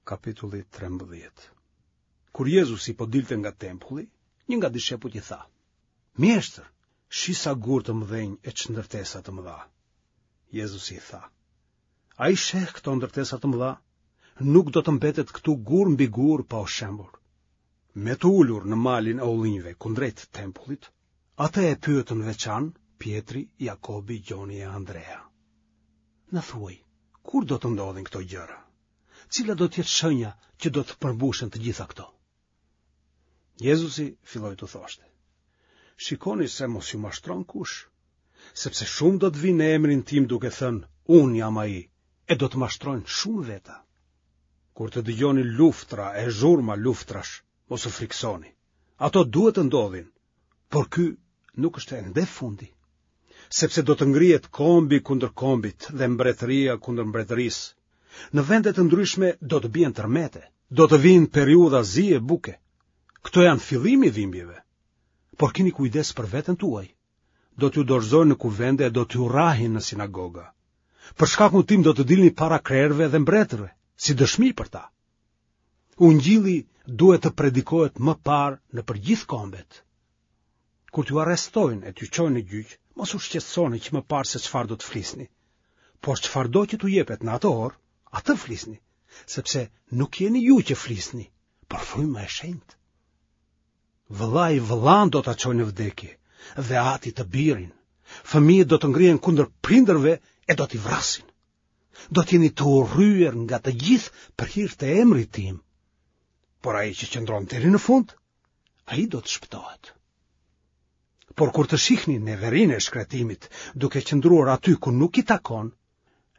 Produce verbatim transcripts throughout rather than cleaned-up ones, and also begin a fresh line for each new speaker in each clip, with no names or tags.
Kapitulli trembëdhjetë. Kur Jezusi po dilte nga tempulli, një nga dishepujt i tha: Mjeshtër, shih sa gurë të mëdhenj e ç'ndërtesa të mëdha. Jezusi i tha: A i sheh këto ndërtesa të mëdha? Nuk do të mbetet këtu gur mbi gur pa u shembur. Me t'u ulur në malin e ullinjve kundrejt tempullit, atë e pyetën veçan Pjetri, Jakobi, Gjoni e Andrea. Na thuaj, kur do të ndodhin këto gjëra? Cila do të jetë shenja që do të përmbushen të gjitha këto? Jezusi filloi t'u thoshte: Shikoni se mos ju mashtron kush, sepse shumë do të vijnë në emrin tim duke thënë, unë jam ai, e do të mashtrojnë shumë veta. Kur të dëgjoni luftra e zhurma luftrash, mos u frikësoni. Ato duhet të ndodhin, por ky nuk është ende fundi. Sepse do të ngrihet kombi kundër kombit dhe mbretëria kundër mbretërisë. Në vende të ndryshme do të bien tërmete, do të vijnë periudha zie buke. Këto janë fillimi i dhimbjeve. Por kini kujdes për veten tuaj. Do t'ju dorëzojnë në kuvende e do t'ju rrahin në sinagoga. Për shkakun tim do të dilni para krerëve dhe mbretërve, si dëshmi për ta. Ungjilli duhet të predikohet më parë nëpër gjithë kombet. Kur t'ju arrestojnë e t'ju çojnë në gjyq, mos u shqetësoni që më parë se çfarë do të flisni. Por çfarëdo që t'u jepet në atë orë, atë flisni, sepse nuk jeni ju që flisni, por fryma e shenjtë. Vëllai vëllanë do ta çojë në vdekje dhe ati të birin. Fëmijët do të ngrihen kundër prindërve e do t'i vrasin. Do të jeni të urryer nga të gjithë për hir të emrit tim. Por ai që qëndron deri në fund, ai do të shpëtohet. Por kur të shihni neverinë e shkretimit duke qëndruar aty ku nuk i takon,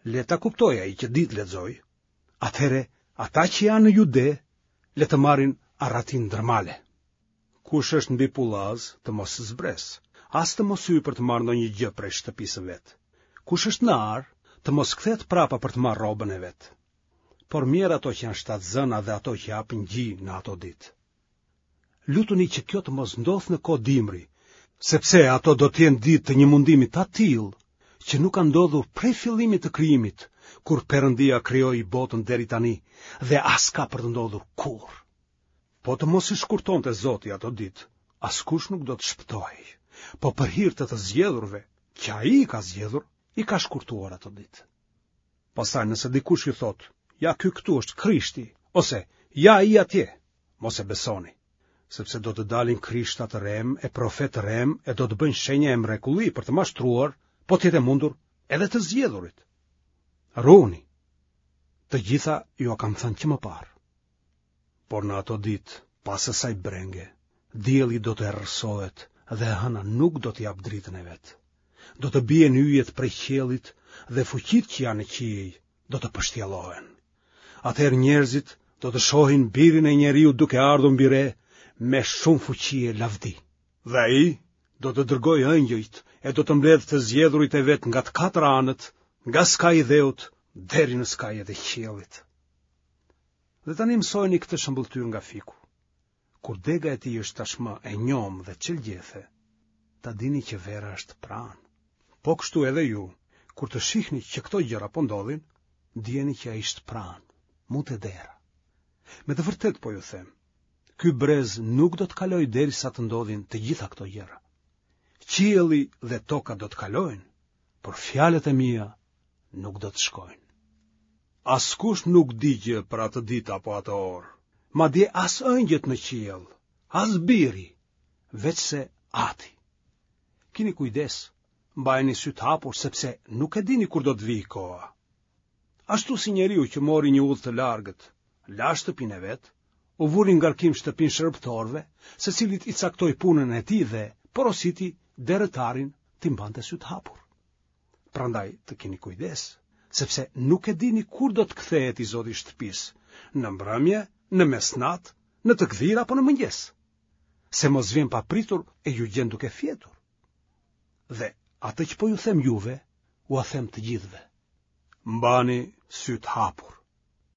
le ta kuptojë ai që di të lexojë. Atëherë ata që janë në Jude, le të marrin arratinë ndër male. Kush është mbi pullaz, të mos zbresë, as të mos hyjë për të marrë ndonjë gjë prej shtëpisë së vet. Kush është në arë, të mos kthehet prapa për të marrë rrobën e vet. Por mjerë ato që janë shtatzëna dhe ato që japin gji në ato ditë. Lutuni që kjo të mos ndodhë në kohë dimri, sepse ato do të jenë ditë të një mundimi të atillë që nuk ka ndodhur prej fillimit të krijimit, kur Perëndia krijoi botën deri tani dhe as ka për të ndodhur kurrë. Po të mos i shkurtonte Zoti ato ditë, askush nuk do të shpëtohej. Po për hir të të zgjedhurve, që ai i ka zgjedhur, i ka shkurtuar ato ditë. Pastaj nëse dikush ju thotë, ja ky këtu është Krishti, ose ja ai atje, mos e besoni, sepse do të dalin krishta të rremë e profetë të rremë e do të bëjnë shenja e mrekulli për të mashtruar, po të jetë e mundur, edhe të zgjedhurit. Ruhuni. Të gjitha jua kam thënë që më parë. Por në ato ditë, pas asaj brenge, dielli do të errësohet dhe hëna nuk do të japë dritën e vet. Do të bien yjet prej qiellit dhe fuqitë që janë në qiej do të pështjellohen. Atëherë njerëzit do të shohin birin e njeriut duke ardhur mbi re me shumë fuqi e lavdi. Dhe ai do të dërgojë engjëjt e do të mbledhë të zgjedhurit e vet nga të katër anët, nga skaji i dheut deri në skajet e qiellit. Dhe tani mësojeni këtë shëmbëlltyrë nga fiku. Kur dega e tij është tashmë e njomë dhe çel gjethe, ta dini që vera është pranë. Po kështu edhe ju, kur të shihni që këto gjëra po ndodhin, dijeni që ai është pranë, mu te dera. Me të vërtetë po ju them, ky brez nuk do të kalojë derisa të ndodhin të gjitha këto gjëra. Qielli dhe toka do të kalojnë, por fjalët e mia nuk do të shkojnë. Askush nuk di gjë për atë ditë apo atë orë, madje as engjëjt në qiell, as biri, veçse Ati. Kini kujdes, mbajeni sytë hapur sepse nuk e dini kur do të vijë koha. Ashtu si njeriu që mori një udhë të largët, la shtëpinë e vet, u vuri ngarkim shtëpinë shërbëtorëve, secilit i caktoi punën e tij dhe porositi derëtarin t'i mbante sytë hapur. Prandaj të keni kujdes, sepse nuk e dini kur do të kthehet i zoti i shtëpisë, në mbrëmje, në mesnatë, në të gdhirë apo në mëngjes, se mos vjen papritur e ju gjen duke fjetur. Dhe atë që po ju them juve, ua them të gjithëve. Mbani sytë hapur.